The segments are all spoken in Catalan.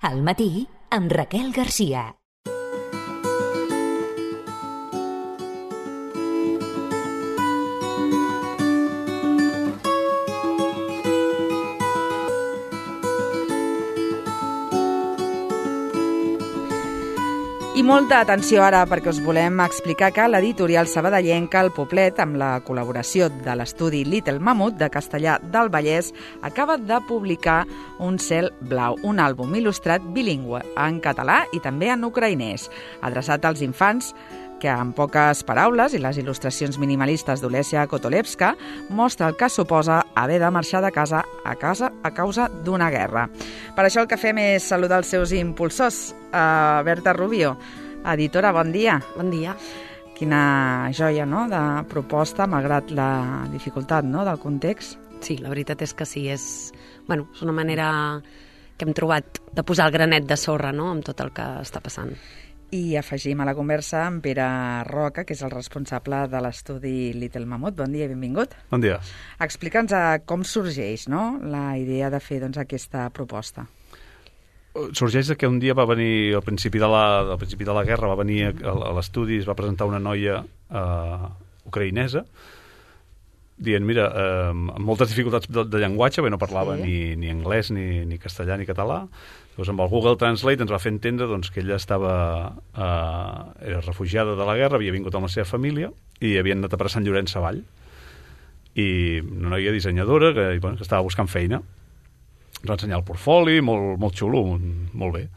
Al matí, amb Raquel Garcia. I molta atenció ara, perquè us volem explicar que l'editorial sabadellenca El Poblet, amb la col·laboració de l'estudi Little Mamut de Castellar del Vallès, acaba de publicar Un cel blau, un àlbum il·lustrat bilingüe en català i també en ucraïnès, adreçat als infants, que amb poques paraules i les il·lustracions minimalistes d'Olesya Kotolevska mostra el que suposa haver de marxar de casa a causa d'una guerra. Per això el que fem és saludar els seus impulsors. Berta Rubio, editora, bon dia. Bon dia. Quina joia, no?, de proposta, malgrat la dificultat, no?, del context. Sí, la veritat és que sí, és una manera que hem trobat de posar el granet de sorra, no?, amb tot el que està passant. I afegim a la conversa amb Pere Roca, que és el responsable de l'estudi Little Mamut. Bon dia i benvingut. Bon dia. Explica'ns com sorgeix, no?, la idea de fer aquesta proposta. Sorgeix que un dia va venir, al principi de la guerra, va venir a l'estudi, es va presentar una noia ucraïnesa, dient, mira, amb moltes dificultats de llenguatge, no parlava ni anglès, ni castellà, ni català. Llavors, amb el Google Translate ens va fer entendre que ella era refugiada de la guerra, havia vingut amb la seva família i havien anat a Sant Llorenç Savall. I una noia dissenyadora que estava buscant feina. Ens va ensenyar el portfoli, molt xulo, molt bé.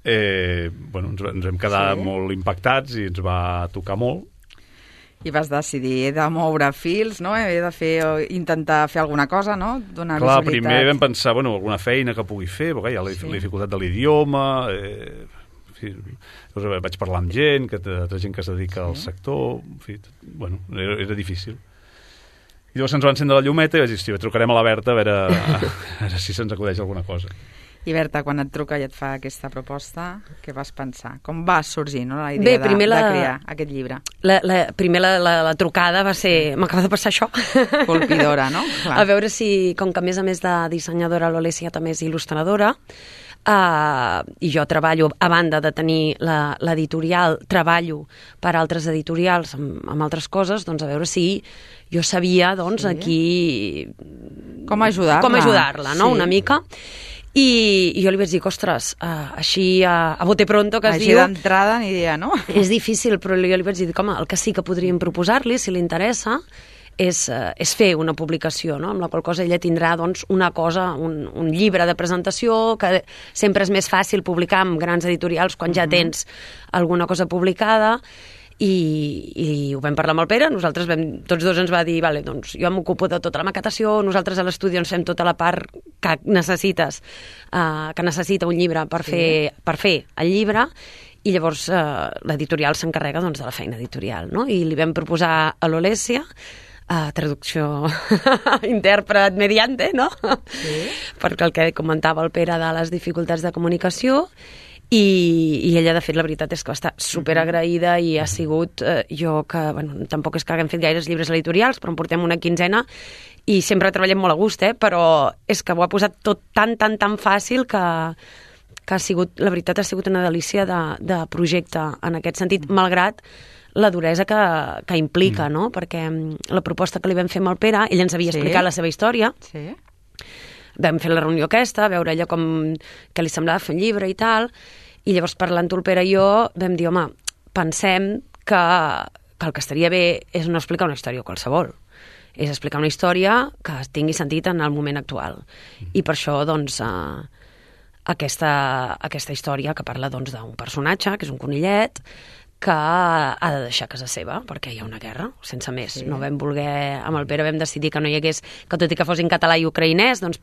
Ens vam quedar molt impactats i ens va tocar molt. I vas decidir, he de moure fils, no? He de intentar fer alguna cosa, no? Donar visibilitat. Primer vam pensar, alguna feina que pugui fer, perquè hi ha la dificultat de l'idioma, vaig parlar amb gent, gent que es dedica al sector, era difícil. I llavors ens va encendre la llumeta i vaig dir, trucarem a la Berta a veure si se'ns acudeix alguna cosa. I Berta, quan et truca i et fa aquesta proposta, què vas pensar? Com va sorgir, no, la idea de crear aquest llibre? Primer la trucada va ser... M'acaba de passar això. Colpidora, no? Clar. A veure si, com que a més de dissenyadora, l'Olesya també és il·lustradora, i jo treballo, a banda de tenir l'editorial, treballo per altres editorials amb altres coses, doncs a veure si jo sabia, aquí... Com ajudar-la, no?, una mica. I jo li vaig dir, ostres, així a bote pronto, que es diu... Així d'entrada ni idea, no? És difícil, però jo li vaig dir, home, el que sí que podríem proposar-li, si li interessa, és fer una publicació, no?, amb la qual cosa ella tindrà una cosa, un llibre de presentació, que sempre és més fàcil publicar amb grans editorials quan ja tens alguna cosa publicada. I ho vam parlar amb el Pere, tots dos ens va dir, vale, doncs jo m'ocupo de tota la maquetació, nosaltres a l'estudi ens fem tota la part que necessita un llibre per fer el llibre, i llavors l'editorial s'encarrega de la feina editorial, no? I li vam proposar a l'Olesya, traducció intèrpret mediante, no? Sí. Perquè el que comentava el Pere de les dificultats de comunicació, i ella, de fet, la veritat és que va estar superagraïda i ha sigut jo que, tampoc és que haguem fet gaires llibres editorials, però en portem una quinzena i sempre treballem molt a gust, però és que ho ha posat tot tan fàcil que ha sigut, la veritat, ha sigut una delícia de projecte en aquest sentit, malgrat la duresa que implica, no? Perquè la proposta que li vam fer amb el Pere, ell ens havia explicat la seva història, vam fer la reunió aquesta, veure ella què li semblava fer un llibre i tal, i llavors parlant-ho el Pere i jo vam dir, home, pensem que el que estaria bé és no explicar una història qualsevol, és explicar una història que tingui sentit en el moment actual. I per això, aquesta història que parla d'un personatge, que és un conillet, que ha de deixar casa seva, perquè hi ha una guerra, sense més. No vam voler, amb el Pere vam decidir que no hi hagués, que tot i que fos en català i ucraïnès, doncs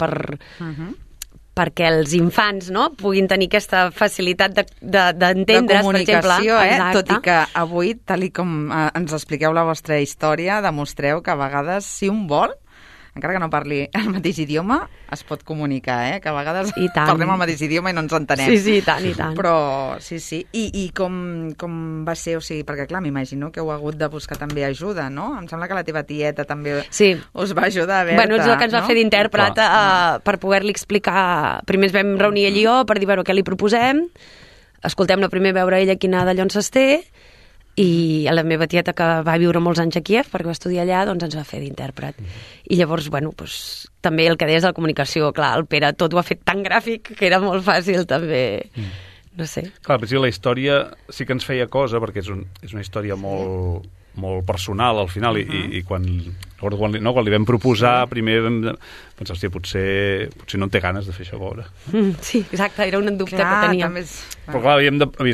perquè els infants puguin tenir aquesta facilitat d'entendre's, de comunicació, per exemple. Tot i que avui, tal com ens expliqueu la vostra història, demostreu que a vegades, si un vol, encara que no parli el mateix idioma, es pot comunicar, que a vegades parlem el mateix idioma i no ens entenem. Sí, i tant. Però, sí. I com va ser, o sigui, perquè clar, m'imagino que heu hagut de buscar també ajuda, no? Em sembla que la teva tieta també us va ajudar, Berta. Bueno, és el que ens va fer d'intèrpret per poder-li explicar. Primer ens vam reunir allí per dir, què li proposem, escoltem-la primer, veure ella quina d'allò ens té, i la meva tieta, que va viure molts anys a Kíev perquè va estudiar allà, doncs ens va fer d'intèrpret. I llavors, també el que deies de la comunicació, clar, el Pere tot ho ha fet tan gràfic que era molt fàcil també, no sé. Clar, però la història sí que ens feia cosa, perquè és una història molt personal al final, i quan li vam proposar, primer vam pensar, hòstia, potser no en té ganes de fer això veure. Sí, exacte, era un dubte que teníem. Però clar,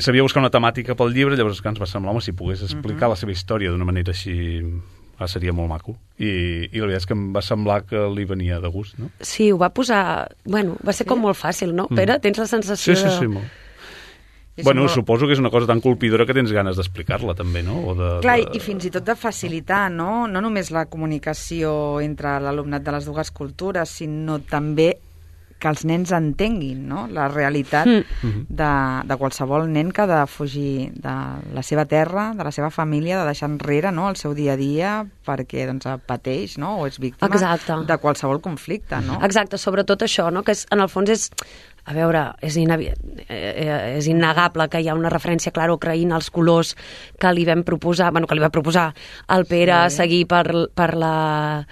sabia buscar una temàtica pel llibre, llavors ens va semblar, si pogués explicar la seva història d'una manera així, seria molt maco. I la veritat és que em va semblar que li venia de gust, no? Sí, ho va posar... va ser com molt fàcil, no? Pere, tens la sensació de... Sí, molt. Bueno, suposo que és una cosa tan colpidora que tens ganes d'explicar-la, també, no? Clar, i fins i tot de facilitar, no? No només la comunicació entre l'alumnat de les dues cultures, sinó també que els nens entenguin, no? La realitat de qualsevol nen que ha de fugir de la seva terra, de la seva família, de deixar enrere, no?, el seu dia a dia perquè pateix, no?, o és víctima de qualsevol conflicte, no? Exacte, sobretot això, no?, que en el fons és... A veure, és innegable que hi ha una referència clara a Ucraïna, als colors que li vam proposar, que li va proposar el Pere seguir per la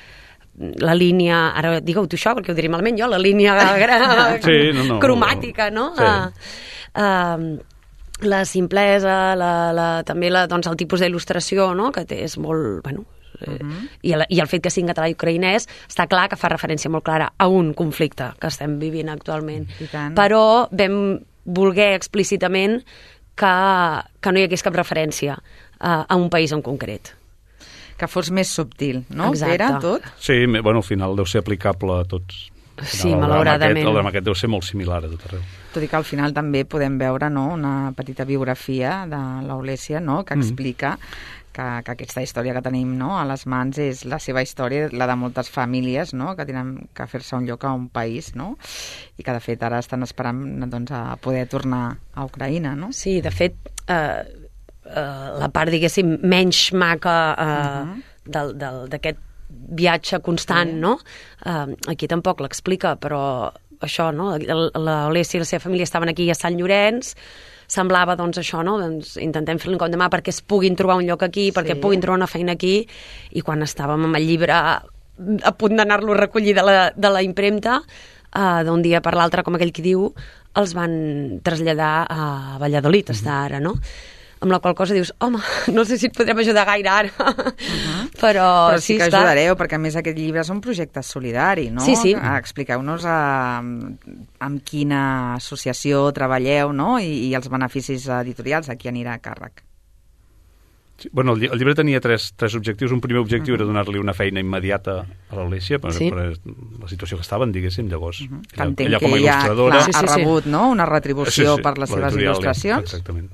línia, ara digue-ho tu això, perquè ho diré malament jo, la línia cromàtica, no? La simplesa, també el tipus d'il·lustració, no?, que és molt... I el fet que sigui en català i ucraïnès està clar que fa referència molt clara a un conflicte que estem vivint actualment, però vam voler explícitament que no hi hagués cap referència a un país en concret, que fos més subtil, no? Pere, tot? Sí, al final deu ser aplicable a tots. Sí, malauradament. El drama aquest deu ser molt similar a tot arreu. Tot i que al final també podem veure, no?, una petita biografia de l'Olèsia, no?, que explica que aquesta història que tenim, no?, a les mans és la seva història, la de moltes famílies, no?, que tenen que fer-se un lloc a un país, no?, i que de fet ara estan esperant, doncs, a poder tornar a Ucraïna, no? Sí, de fet, la part, diguéssim, menys maca d'aquest viatge constant, no? Aquí tampoc l'explica, però això, no? L'Olèsia i la seva família estaven aquí a Sant Llorenç, semblava, doncs, això, no? Doncs intentem fer-li un cop de mà perquè es puguin trobar un lloc aquí, perquè puguin trobar una feina aquí, i quan estàvem amb el llibre a punt d'anar-lo a recollir de la impremta, d'un dia per l'altre, com aquell qui diu, els van traslladar a Valladolid, està ara, no? Amb la qual cosa dius, home, no sé si et podrem ajudar gaire ara, però sí que ajudareu, perquè a més aquest llibre és un projecte solidari, no? Sí. Expliqueu-nos amb quina associació treballeu, no?, i els beneficis editorials, a qui anirà a càrrec. Sí, el llibre tenia tres objectius. Un primer objectiu era donar-li una feina immediata a l'Olèsia, per la situació que estaven, diguéssim, llavors. Entenc que ella ha rebut, no?, una retribució per les seves il·lustracions. Exactament.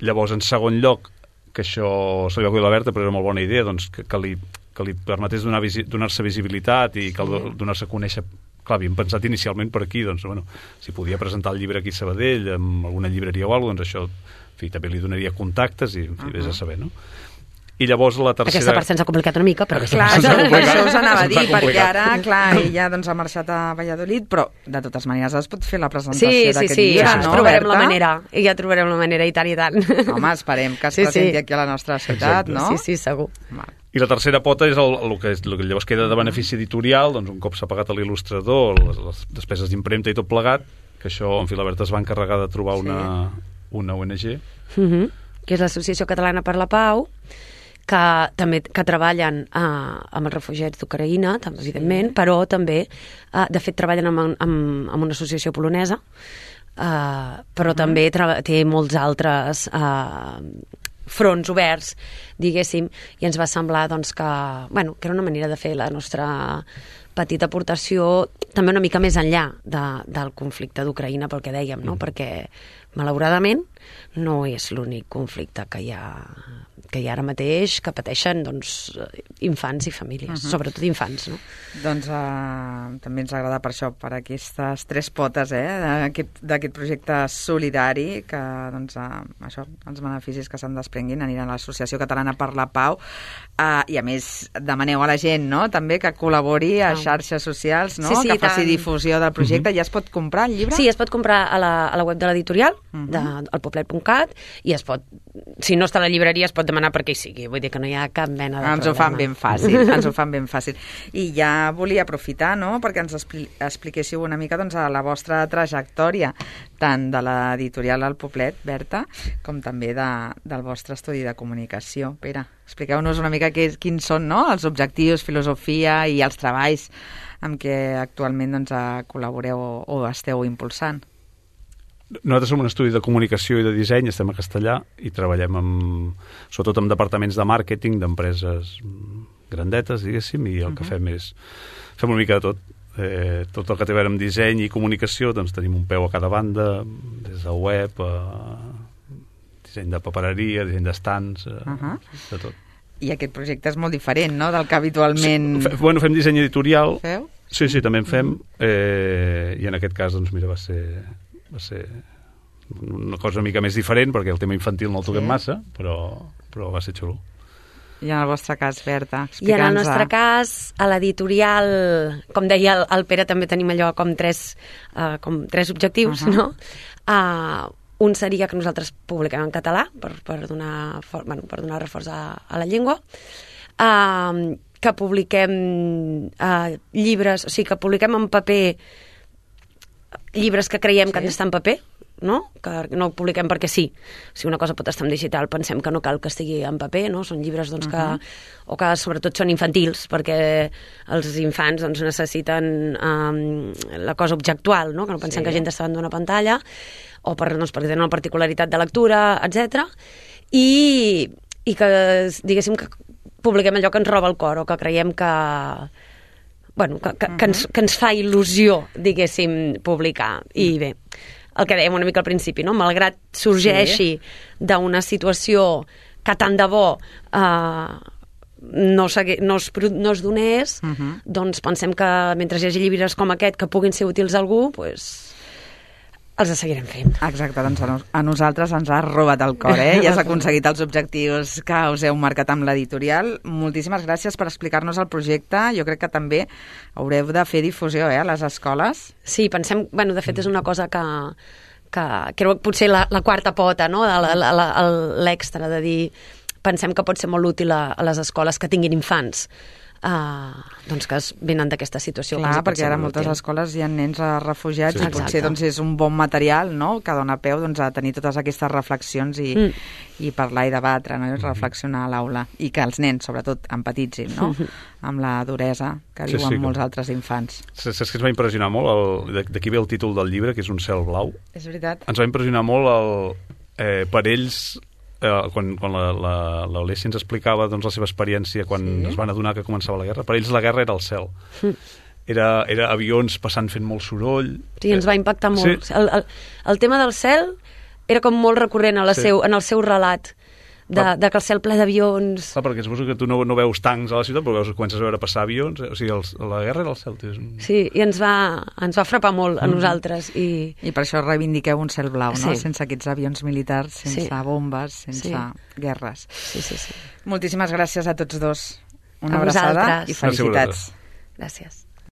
Llavors, en segon lloc, que això se li va acudir a la Berta, però era molt bona idea, doncs, que li permetés donar-se visibilitat i donar-se a conèixer. Clar, havíem pensat inicialment per aquí, doncs, si podia presentar el llibre aquí a Sabadell, amb alguna llibreria o alguna cosa, doncs això, en fi, també li donaria contactes i vés a saber, no? I llavors la tercera... Aquesta part s'ha complicat una mica, però... Clar, això us anava a dir, perquè ara, clar, ella doncs, ha marxat a Valladolid, però de totes maneres es pot fer la presentació d'aquest llibre, no, trobarem la manera, ja trobarem la manera, i tant. Home, esperem que es presenti aquí a la nostra ciutat, no? Sí, segur. I la tercera pota és el que llavors queda de benefici editorial, doncs un cop s'ha pagat a l'il·lustrador, les despeses d'impremta i tot plegat, que això, en fi, la Berta es va encarregar de trobar una ONG. Que és l'Associació Catalana per la Pau, que treballen amb els refugiats d'Ucraïna, evidentment, però també, de fet, treballen amb una associació polonesa, però també té molts altres fronts oberts, diguéssim, i ens va semblar doncs, que era una manera de fer la nostra petita aportació també una mica més enllà del conflicte d'Ucraïna, pel que dèiem, no? Perquè malauradament no és l'únic conflicte que hi ha ara mateix, que pateixen infants i famílies, sobretot infants. No? Doncs també ens agrada per això, per aquestes tres potes d'aquest projecte solidari, que això, els beneficis que se'n desprenguin aniran a l'Associació Catalana per la Pau, i a més demaneu a la gent també que col·labori a xarxes socials, que faci difusió del projecte. Ja es pot comprar el llibre? Sí, es pot comprar a la web de l'editorial, alpoplet.cat, i es pot, si no està a la llibreria, es pot demanar per què hi sigui, vull dir que no hi ha cap mena de problema. Ens ho fan ben fàcil. I ja volia aprofitar, perquè ens expliquéssiu una mica la vostra trajectòria, tant de l'editorial El Poblet, Berta, com també del vostre estudi de comunicació. Pere, expliqueu-nos una mica quins són els objectius, filosofia i els treballs amb què actualment col·laboreu o esteu impulsant. Nosaltres som un estudi de comunicació i de disseny, estem a Castellà i treballem sobretot amb departaments de màrqueting d'empreses grandetes, diguéssim, i el que fem és fem una mica de tot. Tot el que té a veure amb disseny i comunicació, doncs tenim un peu a cada banda, des de web, disseny de papereria, disseny d'estants, de tot. I aquest projecte és molt diferent, del que habitualment... Fem disseny editorial. Feu? Sí, també en fem, i en aquest cas, doncs mira, va ser una cosa una mica més diferent, perquè el tema infantil no el toquem massa, però va ser xulo. I en el vostre cas, Berta, explica'ns... I en el nostre cas, a l'editorial, com deia el Pere, també tenim allò com tres objectius, no? Un seria que nosaltres publiquem en català, per donar reforç a la llengua, que publiquem llibres, o sigui, que publiquem en paper llibres que creiem que han d'estar en paper, no? Que no ho publiquem perquè sí. Si una cosa pot estar en digital, pensem que no cal que estigui en paper, no? Són llibres que sobretot són infantils, perquè els infants necessiten la cosa objectual, no? Que no pensem que hagi d'estar davant d'una pantalla, o perquè tenen una particularitat de lectura, etc. I que, diguéssim, que publiquem allò que ens roba el cor, o que creiem que ens fa il·lusió, diguéssim, publicar. I bé, el que dèiem una mica al principi, no? Malgrat sorgeixi d'una situació que tant de bo no es donés, doncs pensem que mentre hi hagi llibres com aquest que puguin ser útils a algú, els seguirem fent. Exacte, doncs a nosaltres ens ha robat el cor, i has aconseguit els objectius que us heu marcat amb l'editorial. Moltíssimes gràcies per explicar-nos el projecte. Jo crec que també haureu de fer difusió a les escoles. Sí, pensem, de fet és una cosa que creu que potser la quarta pota, no? L'extra de dir, pensem que pot ser molt útil a les escoles que tinguin infants, doncs que venen d'aquesta situació. Clar, perquè ara a moltes escoles hi ha nens refugiats i potser és un bon material, no?, que dona peu a tenir totes aquestes reflexions i parlar i debatre, no?, i reflexionar a l'aula, i que els nens, sobretot, empatitzin, no?, amb la duresa que viuen molts altres infants. Saps que ens va impressionar molt? D'aquí ve el títol del llibre, que és Un cel blau. És veritat. Ens va impressionar molt per ells... quan l'Olessi ens explicava la seva experiència quan es van adonar que començava la guerra, per ells la guerra era el cel. Era avions passant fent molt soroll. Sí, ens va impactar molt. Sí. El tema del cel era com molt recurrent en el seu relat, de que el cel ple d'avions... Clar, perquè suposo que tu no veus tancs a la ciutat, però comences a veure passar avions. O sigui, la guerra era el cel. Sí, i ens va frapar molt a nosaltres. I per això reivindiqueu un cel blau, no? Sense aquests avions militars, sense bombes, sense guerres. Sí. Moltíssimes gràcies a tots dos. Una abraçada i felicitats. Gràcies.